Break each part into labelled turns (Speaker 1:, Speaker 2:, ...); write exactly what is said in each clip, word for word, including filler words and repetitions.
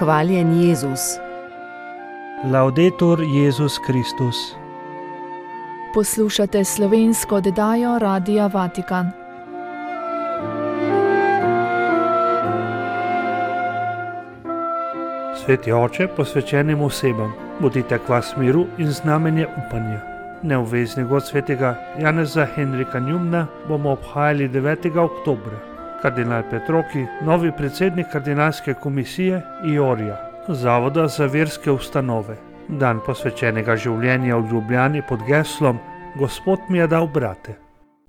Speaker 1: Hvaljen Jezus.
Speaker 2: Laudetur Jezus Kristus.
Speaker 3: Poslušate slovensko oddajo Radia Vatikan.
Speaker 2: Sveti oče, posvečenim osebam, bodite kvas miru in znamenje upanja. Neobvezni god svetega Janeza Henrika Njumna bomo obhajali devetega oktobra. Kardinal Petroki, novi predsednik kardinalske komisije I O R I A, Zavoda za verske ustanove. Dan posvečenega življenja v Ljubljani pod geslom Gospod mi je dal brate.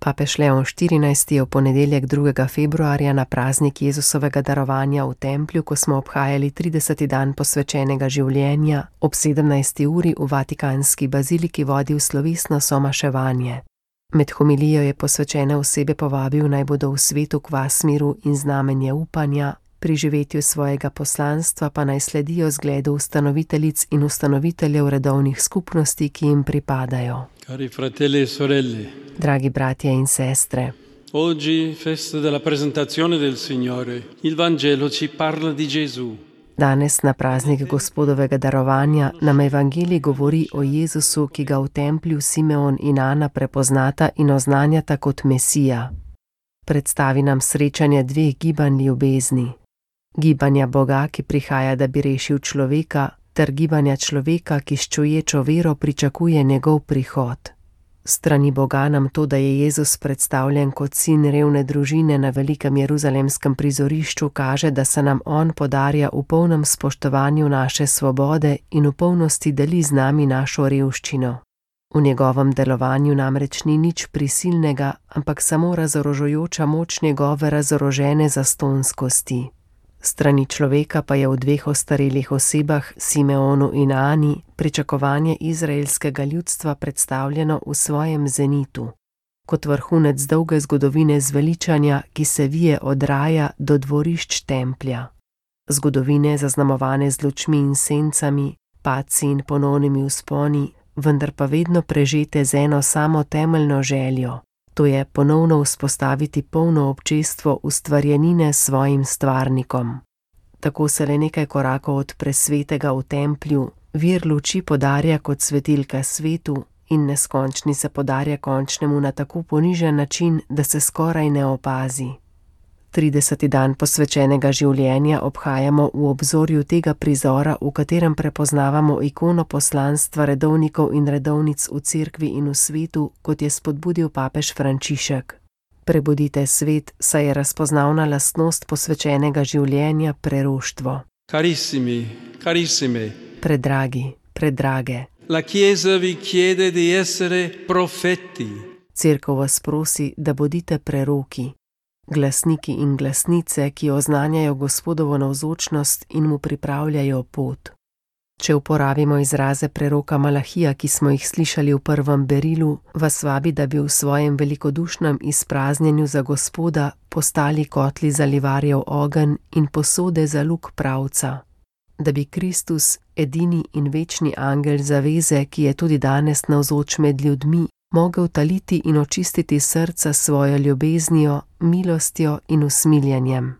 Speaker 1: Papež Leon štirinajsti je v ponedeljek drugega februarja na praznik Jezusovega darovanja v templju, ko smo obhajali trideseti dan posvečenega življenja, ob sedemnajsti uri v Vatikanski baziliki vodil slovesno somaševanje. Med homilijo je posvečene osebe povabil, naj bodo v svetu kvas miru in znamenje upanja, pri živetju svojega poslanstva pa naj sledijo zgledu ustanoviteljic in ustanoviteljev redovnih skupnosti, ki jim pripadajo.
Speaker 4: Cari fratelli e sorelle,
Speaker 1: Dragi bratje in sestre,
Speaker 4: oggi, festa della presentazione del Signore, il Vangelo ci parla di Gesù.
Speaker 1: danes na praznik Gospodovega darovanja nam evangelij govori o Jezusu, ki ga v templju Simeon in Ana prepoznata in oznanjata kot Mesija. Predstavi nam srečanje dveh gibanj ljubezni. Gibanja Boga, ki prihaja, da bi rešil človeka, ter gibanja človeka, ki s čuječo vero pričakuje njegov prihod. Strani Boga nam to, da je Jezus predstavljen kot sin revne družine na velikem jeruzalemskem prizorišču, kaže, da se nam on podarja v polnem spoštovanju naše svobode in v polnosti deli z nami našo revščino. V njegovem delovanju namreč ni nič prisilnega, ampak samo razorožujoča moč njegove razorožene zastonskosti. Strani človeka pa je v dveh ostarelih osebah, Simeonu in Ani, pričakovanje izraelskega ljudstva predstavljeno v svojem zenitu. Kot vrhunec dolge zgodovine zveličanja, ki se vije od raja do dvorišč templja. Zgodovine zaznamovane z lučmi in sencami, padci in ponovnimi vzponi, vendar pa vedno prežete z eno samo temeljno željo. To je ponovno vzpostaviti polno občestvo ustvarjenine s svojim stvarnikom. Tako se le nekaj korakov od presvetega v templju, vir luči podarja kot svetilka svetu in neskončni se podarja končnemu na tako ponižen način, da se skoraj ne opazi. trideseti dan posvečenega življenja obhajamo v obzorju tega prizora, v katerem prepoznavamo ikono poslanstva redovnikov in redovnic v cerkvi in v svetu, kot je spodbudil papež Frančišek. Prebudite svet, saj je razpoznavna lastnost posvečenega življenja preroštvo.
Speaker 4: Carissimi, carissime,
Speaker 1: Predragi, predrage.
Speaker 4: la Chiesa vi chiede di essere profeti.
Speaker 1: Cerkev vas prosi, da bodite preroki. Glasniki in glasnice, ki oznanjajo Gospodovo navzočnost in mu pripravljajo pot. Če uporabimo izraze preroka Malahija, ki smo jih slišali v prvem berilu, vas vabi, da bi v svojem velikodušnem izpraznjenju za Gospoda postali kotli za livarjev ogenj in posode za luk pravca. Da bi Kristus, edini in večni angel zaveze, ki je tudi danes navzoč med ljudmi, mogel taliti in očistiti srca svojo ljubeznijo, milostjo in usmiljenjem.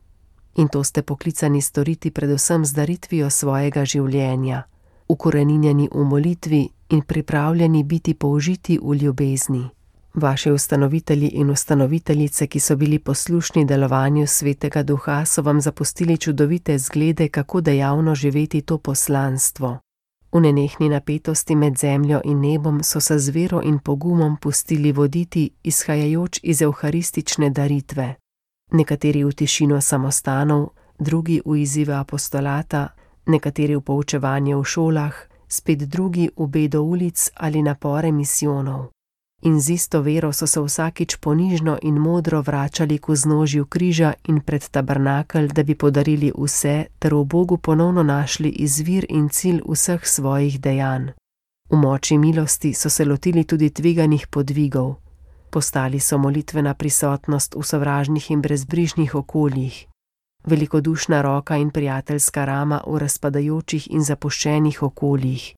Speaker 1: In to ste poklicani storiti predvsem z daritvijo svojega življenja, ukoreninjeni v molitvi in pripravljeni biti použiti v ljubezni. Vaši ustanovitelji in ustanoviteljice, ki so bili poslušni delovanju Svetega Duha, so vam zapustili čudovite zglede, kako dejavno živeti to poslanstvo. V nenehni napetosti med zemljo in nebom so se z vero in pogumom pustili voditi, izhajajoč iz evharistične daritve. Nekateri v tišino samostanov, drugi v izzive apostolata, nekateri v poučevanje v šolah, spet drugi v bedo ulic ali napore misijonov. In z isto vero so se vsakič ponižno in modro vračali k vznožju križa in pred tabernakelj, da bi podarili vse ter v Bogu ponovno našli izvir in cilj vseh svojih dejanj. V moči milosti so se lotili tudi tveganih podvigov. Postali so molitvena prisotnost v sovražnih in brezbrižnih okoljih. Velikodušna roka in prijateljska rama v razpadajočih in zapuščenih okoljih.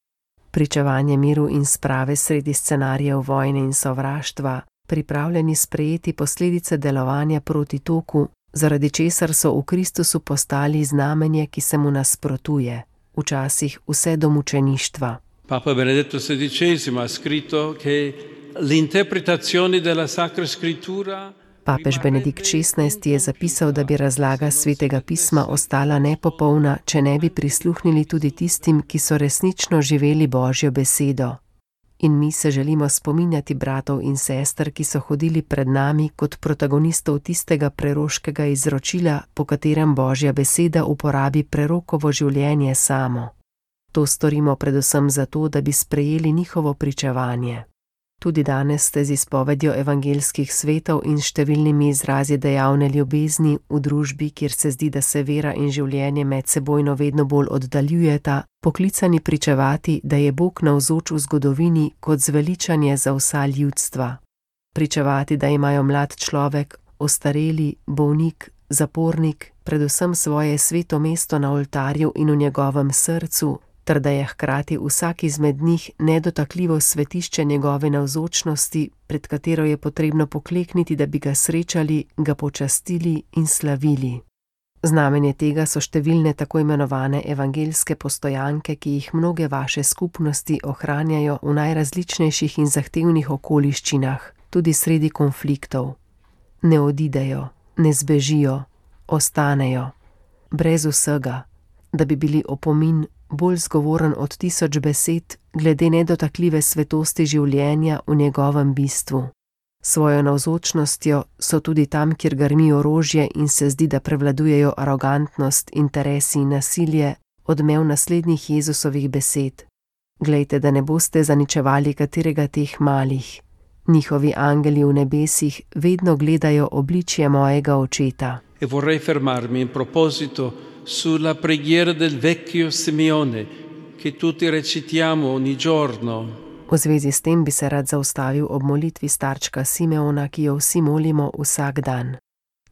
Speaker 1: Pričevanje miru in sprave sredi scenarijev vojne in sovraštva, pripravljeni sprejeti posledice delovanja proti toku, zaradi česar so v Kristusu postali znamenje, ki se mu nasprotuje, včasih vse do mučeništva.
Speaker 4: Papa Benedetto sedicesimo ha scritto che l'interpretazione della Sacra Scrittura.
Speaker 1: Papež Benedikt šestnajsti je zapisal, da bi razlaga Svetega pisma ostala nepopolna, če ne bi prisluhnili tudi tistim, ki so resnično živeli Božjo besedo. In mi se želimo spominjati bratov in sester, ki so hodili pred nami kot protagonistov tistega preroškega izročila, po katerem Božja beseda uporabi prerokovo življenje samo. To storimo predvsem zato, da bi sprejeli njihovo pričevanje. Tudi danes ste z izpovedjo evangeljskih svetov in številnimi izrazi dejavne ljubezni v družbi, kjer se zdi, da se vera in življenje medsebojno vedno bolj oddaljujeta, poklicani pričevati, da je Bog navzoč v zgodovini kot zveličanje za vsa ljudstva. Pričevati, da imajo mlad človek, ostareli, bolnik, zapornik, predvsem svoje sveto mesto na oltarju in v njegovem srcu, ter da je hkrati vsak izmed njih nedotakljivo svetišče njegove navzočnosti, pred katero je potrebno poklekniti, da bi ga srečali, ga počastili in slavili. Znamenje tega so številne tako imenovane evangeljske postojanke, ki jih mnoge vaše skupnosti ohranjajo v najrazličnejših in zahtevnih okoliščinah, tudi sredi konfliktov. Ne odidejo, ne zbežijo, ostanejo, brez vsega, da bi bili opomin bolj zgovoren od tisoč besed glede nedotakljive svetosti življenja v njegovem bistvu. Svojo navzočnostjo so tudi tam, kjer grmi orožje in se zdi, da prevladujejo arogantnost, interesi in nasilje, odmev naslednjih Jezusovih besed. Glejte, da ne boste zaničevali katerega teh malih. Njihovi angeli v nebesih vedno gledajo obličje mojega očeta.
Speaker 4: E vorrei fermarmi in proposito sulla preghiera del vecchio Simeone, che tutti recitiamo ogni giorno.
Speaker 1: V zvezi s tem bi se rad zaustavil ob molitvi starčka Simeona, ki jo vsi molimo vsak dan.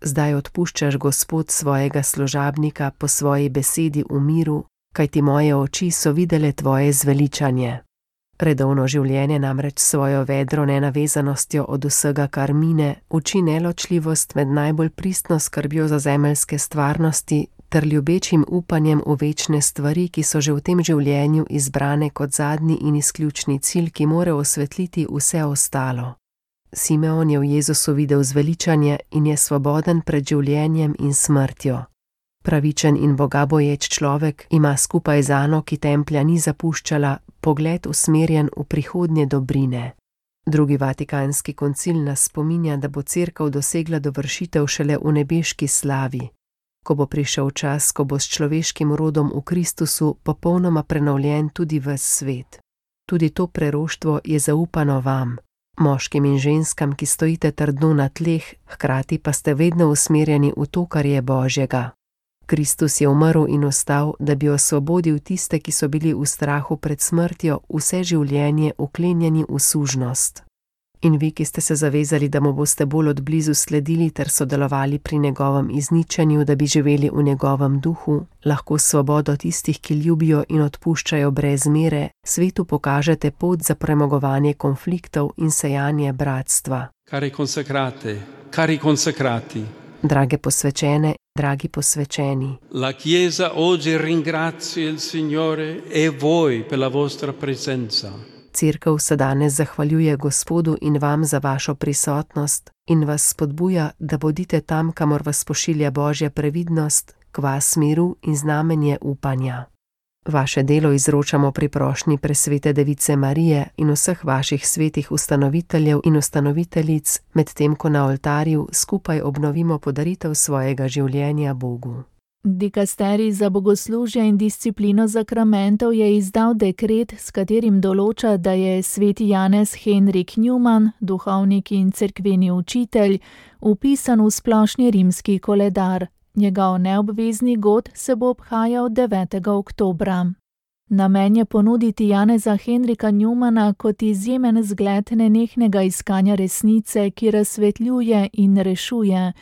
Speaker 1: Zdaj odpuščaš, Gospod, svojega služabnika po svoji besedi v miru, kajti moje oči so videle tvoje zveličanje. Redovno življenje namreč svojo vedro nenavezanostjo od vsega, kar mine, uči neločljivost med najbolj pristno skrbjo za zemeljske stvarnosti ter ljubečim upanjem v večne stvari, ki so že v tem življenju izbrane kot zadnji in izključni cilj, ki mora osvetliti vse ostalo. Simeon je v Jezusu videl zveličanje in je svoboden pred življenjem in smrtjo. Pravičen in bogaboječ človek ima skupaj z Ano, ki templja ni zapuščala, pogled usmerjen v prihodnje dobrine. Drugi vatikanski koncil nas spominja, da bo Cerkev dosegla dovršitev šele v nebeški slavi. Ko bo prišel čas, ko bo s človeškim rodom v Kristusu popolnoma prenovljen tudi ves svet. Tudi to preroštvo je zaupano vam, moškim in ženskam, ki stojite trdno na tleh, hkrati pa ste vedno usmerjeni v to, kar je Božjega. Kristus je umrl in ostal, da bi osvobodil tiste, ki so bili v strahu pred smrtjo vse življenje uklenjeni v sužnost. In vi, ki ste se zavezali, da mu boste bolj od blizu sledili ter sodelovali pri njegovem izničenju, da bi živeli v njegovem duhu, lahko svobodo tistih, ki ljubijo in odpuščajo brez mere, svetu pokažete pot za premagovanje konfliktov in sejanje bratstva.
Speaker 4: Cari consacrate, cari consacrati.
Speaker 1: Drage posvečene, dragi posvečeni.
Speaker 4: La Chiesa oggi ringrazia il Signore e voi per la vostra presenza.
Speaker 1: Cerkev se danes zahvaljuje Gospodu in vam za vašo prisotnost in vas spodbuja, da bodite tam, kamor vas pošilja Božja previdnost, kvas miru in znamenje upanja. Vaše delo izročamo pri prošnji presvete Device Marije in vseh vaših svetih ustanoviteljev in ustanoviteljic, medtem ko na oltarju skupaj obnovimo podaritev svojega življenja Bogu.
Speaker 3: Dikasterij za bogoslužje in disciplino zakramentov je izdal dekret, s katerim določa, da je sveti Janez Henrik Newman, duhovnik in cerkveni učitelj, vpisan v splošni rimski koledar. Njegov neobvezni god se bo obhajal devetega oktobra. Namen je ponuditi Janeza Henrika Newmana kot izjemen zgled nenehnega iskanja resnice, ki razsvetljuje in rešuje,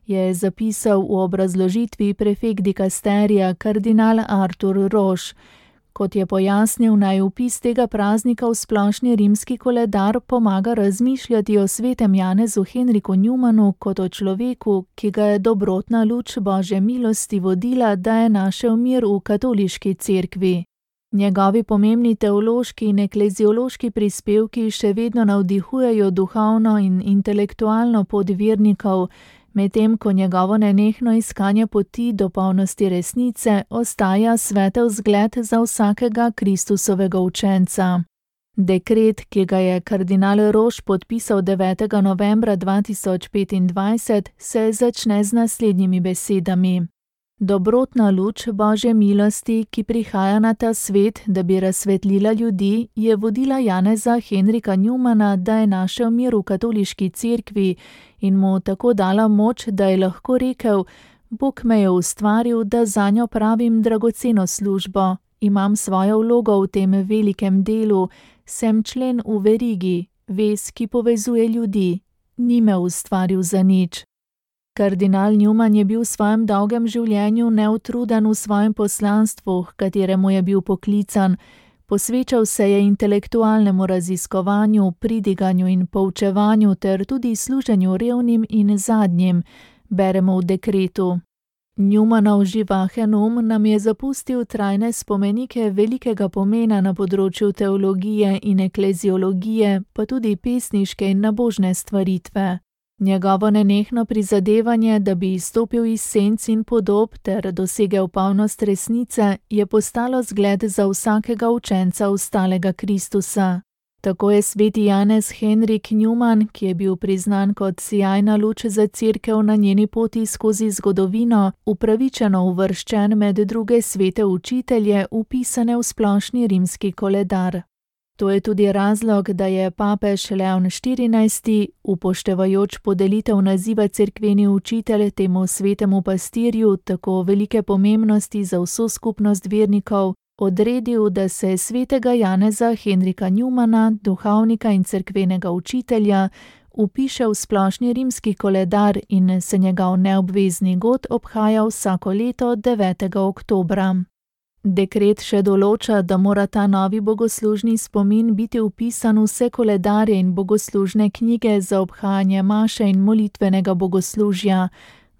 Speaker 3: je zapisal v obrazložitvi prefekt dikasterija kardinal Artur Roš. Kot je pojasnil, naj vpis tega praznika v splošni rimski koledar pomaga razmišljati o svetem Janezu Henriku Newmanu kot o človeku, ki ga je dobrotna luč Božje milosti vodila, da je našel mir v katoliški cerkvi. Njegovi pomembni teološki in ekleziološki prispevki še vedno navdihujejo duhovno in intelektualno pot vernikov, medtem ko njegovo nenehno iskanje poti do polnosti resnice ostaja svetel zgled za vsakega Kristusovega učenca. Dekret, ki ga je kardinal Roš podpisal devetega novembra dva tisoč petindvajset, se začne z naslednjimi besedami. Dobrotna luč Božje milosti, ki prihaja na ta svet, da bi razsvetlila ljudi, je vodila Janeza Henrika Newmana, da je našel mir v katoliški cerkvi in mu tako dala moč, da je lahko rekel: Bog me je ustvaril, da zanjo pravim dragoceno službo, imam svojo vlogo v tem velikem delu, sem člen v verigi, vez, ki povezuje ljudi, ni me ustvaril za nič. Kardinal Newman je bil v svojem dolgem življenju neutruden v svojem poslanstvu, h kateremu je bil poklican. Posvečal se je intelektualnemu raziskovanju, pridiganju in poučevanju ter tudi služenju revnim in zadnjim, beremo v dekretu. Newmanov živahen um nam je zapustil trajne spomenike velikega pomena na področju teologije in ekleziologije, pa tudi pesniške in nabožne stvaritve. Njegovo nenehno prizadevanje, da bi izstopil iz senc in podob ter dosegel polnost resnice, je postalo zgled za vsakega učenca ustalega Kristusa. Tako je sveti Janez Henrik Newman, ki je bil priznan kot sijajna luč za cerkev na njeni poti skozi zgodovino, upravičeno uvrščen med druge svete učitelje, vpisane v splošni rimski koledar. To je tudi razlog, da je papež Leon štirinajsti, upoštevajoč podelitev naziva cerkveni učitelj temu svetemu pastirju tako velike pomembnosti za vso skupnost vernikov, odredil, da se svetega Janeza Henrika Newmana, duhovnika in cerkvenega učitelja, vpiše v splošni rimski koledar in se njegov neobvezni god obhaja vsako leto devetega oktobra. Dekret še določa, da mora ta novi bogoslužni spomin biti vpisan v vse koledarje in bogoslužne knjige za obhajanje maše in molitvenega bogoslužja.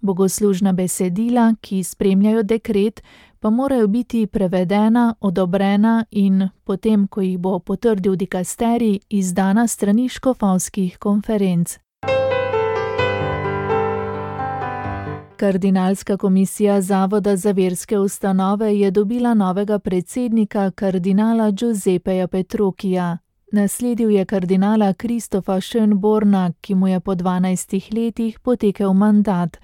Speaker 3: Bogoslužna besedila, ki spremljajo dekret, pa morajo biti prevedena, odobrena in, potem ko jih bo potrdil dikasterij, izdana strani škofovskih konferenc. Kardinalska komisija Zavoda za verske ustanove je dobila novega predsednika, kardinala Giuseppeja Petrokija. Nasledil je kardinala Kristofa Schönborna, ki mu je po dvanajstih letih potekel mandat.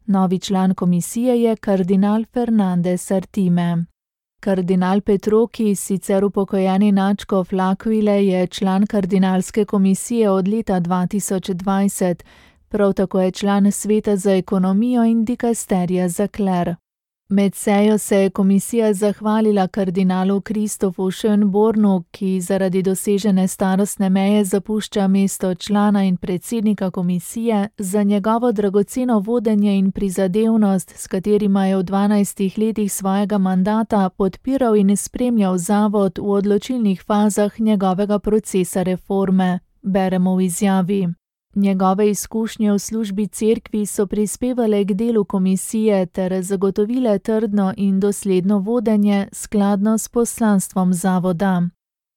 Speaker 3: Novi član komisije je kardinal Fernandez Artime. Kardinal Petroki, sicer upokojeni nadškof L'Aquile, je član kardinalske komisije od leta dva tisoč dvajset. Prav tako je član sveta za ekonomijo in dikasterija za kler. Med sejo se je komisija zahvalila kardinalu Kristofu Schönbornu, ki zaradi dosežene starostne meje zapušča mesto člana in predsednika komisije, za njegovo dragoceno vodenje in prizadevnost, s katerima je v dvanajstih letih svojega mandata podpiral in spremljal zavod v odločilnih fazah njegovega procesa reforme, beremo v izjavi. Njegove izkušnje v službi cerkvi so prispevale k delu komisije ter zagotovile trdno in dosledno vodenje skladno s poslanstvom zavoda.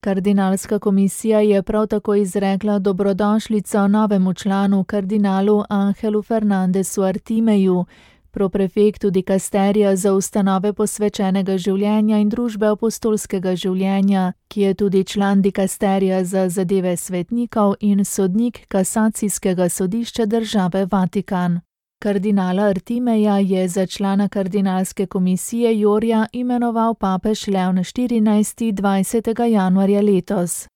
Speaker 3: Kardinalska komisija je prav tako izrekla dobrodošlico novemu članu kardinalu Angelu Fernandezu Artimeju, proprefektu dikasterija za ustanove posvečenega življenja in družbe apostolskega življenja, ki je tudi član dikasterija za zadeve svetnikov in sodnik kasacijskega sodišča države Vatikan. Kardinala Artimeja je za člana kardinalske komisije Jorja imenoval papež Leon štirinajsti dvajsetega januarja letos.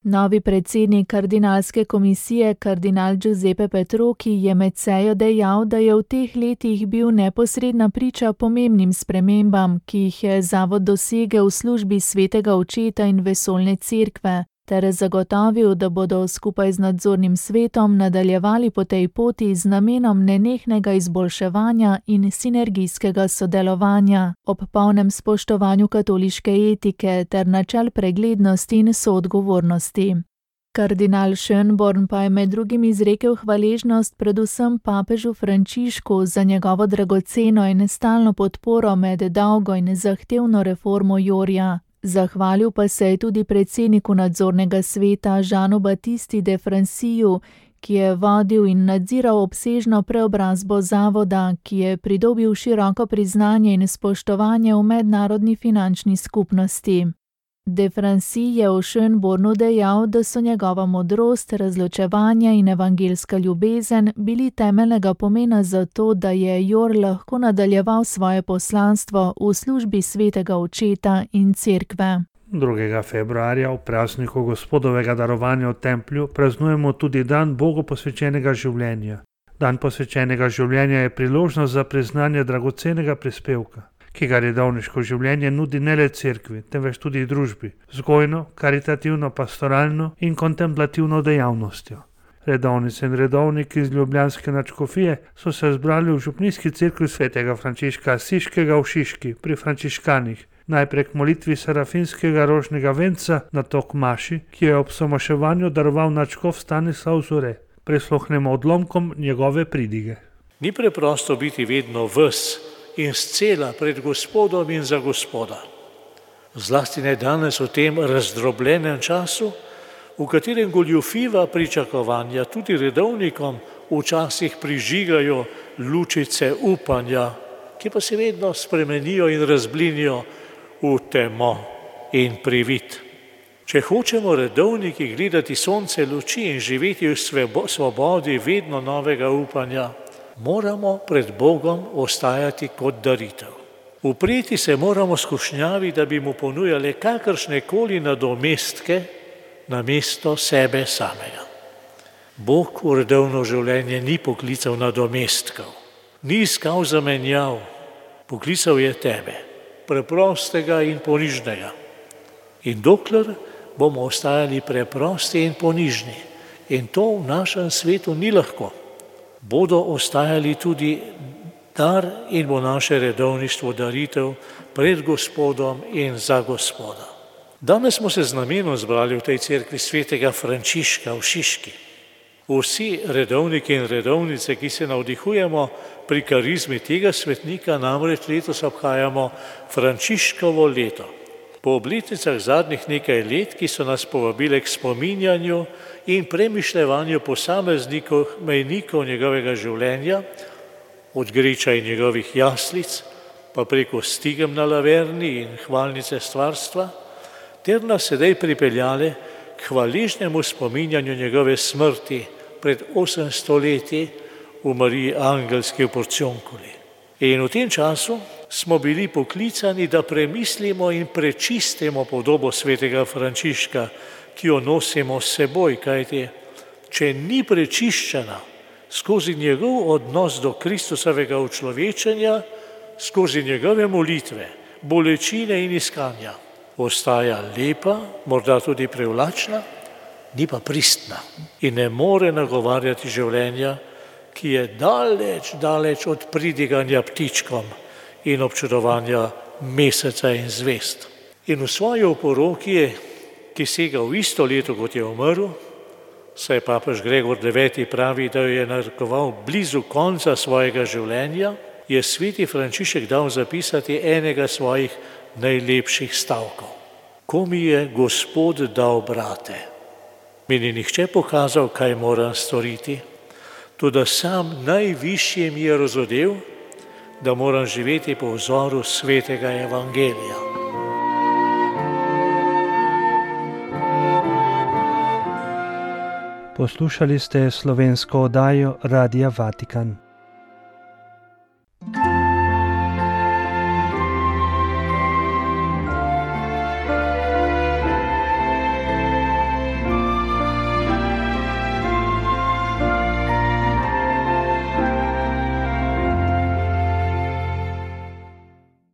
Speaker 3: Novi predsednik kardinalske komisije, kardinal Giuseppe Petroki, je med sejo dejal, da je v teh letih bil neposredna priča pomembnim spremembam, ki jih je zavod dosegel v službi svetega očeta in vesoljne cerkve. ter zagotovil, da bodo skupaj z nadzornim svetom nadaljevali po tej poti z namenom nenehnega izboljševanja in sinergijskega sodelovanja ob polnem spoštovanju katoliške etike ter načel preglednosti in soodgovornosti. Kardinal Schönborn pa je med drugim izrekel hvaležnost predvsem papežu Frančišku za njegovo dragoceno in stalno podporo med dolgo in zahtevno reformo Jorja. Zahvalil pa se je tudi predsedniku nadzornega sveta Jeanu Baptisti de Franciju, ki je vodil in nadziral obsežno preobrazbo zavoda, ki je pridobil široko priznanje in spoštovanje v mednarodni finančni skupnosti. De Franci je v Schönbornu dejal, da so njegova modrost, razločevanje in evangeljska ljubezen bili temeljnega pomena za to, da je Jor lahko nadaljeval svoje poslanstvo v službi svetega očeta in cerkve.
Speaker 2: drugega februarja v prazniku Gospodovega darovanja v templju praznujemo tudi dan Bogu posvečenega življenja. Dan posvečenega življenja je priložnost za priznanje dragocenega prispevka, ki ga redovniško življenje nudi ne le cerkvi, temveč tudi družbi, vzgojno, karitativno, pastoralno in kontemplativno dejavnostjo. Redovnice in redovniki iz ljubljanske nadškofije so se zbrali v župnijski cerkvi svetega Frančiška Asiškega v Šiški pri frančiškanih, najprej k molitvi serafinskega rožnega venca na tok maši, ki je ob somoševanju daroval nadškof Stanislav Zore. Prisluhnemo odlomkom njegove pridige.
Speaker 5: Ni preprosto biti vedno ves in scela pred Gospodom in za Gospoda. Zlasti ne danes v tem razdrobljenem času, v katerem goljufiva pričakovanja tudi redovnikom včasih prižigajo lučice upanja, ki pa se vedno spremenijo in razblinijo v temo in privid. Če hočemo redovniki gledati sonce luči in živeti v svobodi vedno novega upanja, moramo pred Bogom ostajati kot daritev. Upreti se moramo skušnjavi, da bi mu ponujali kakršne koli nadomestke namesto sebe samega. Bog v redovno življenje ni poklical nadomestkov, ni iskal zamenjav, poklical je tebe, preprostega in ponižnega. In dokler bomo ostajali preprosti in ponižni, in to v našem svetu ni lahko, bodo ostajali tudi dar in bo naše redovništvo daritev pred Gospodom in za Gospoda. Danes smo se z namenom zbrali v tej cerkvi svetega Frančiška v Šiški. Vsi redovniki in redovnice, ki se navdihujemo pri karizmi tega svetnika, namreč letos obhajamo Frančiškovo leto. Po obletnicah zadnjih nekaj let, ki so nas povabile k spominjanju in premišljevanju posameznikov, mejnikov njegovega življenja, od Griča in njegovih jaslic, pa preko Stigem na Laverni in hvalnice stvarstva, ter nas sedaj pripeljale k hvaležnemu spominjanju njegove smrti pred osemsto leti v Mariji Angelski v Porcionkuli. In v tem času smo bili poklicani, da premislimo in prečistimo podobo svetega Frančiška, ki jo nosimo s seboj, kajti če ni prečiščena skozi njegov odnos do Kristusovega učlovečenja, skozi njegove molitve, bolečine in iskanja, ostaja lepa, morda tudi privlačna, ni pa pristna in ne more nagovarjati življenja, ki je daleč, daleč od pridiganja ptičkom in občudovanja meseca in zvest. In v svoji oporoki, ki sega v isto leto, kot je umrl, saj papež Gregor deveti pravi, da jo je narekoval blizu konca svojega življenja, je sveti Frančišek dal zapisati enega svojih najlepših stavkov. Ko mi je Gospod dal brate, mi ni nihče pokazal, kaj moram storiti, toda sam najvišji mi je razodel, da moram živeti po vzoru svetega evangelija.
Speaker 2: Poslušali ste slovensko oddajo Radia Vatikan.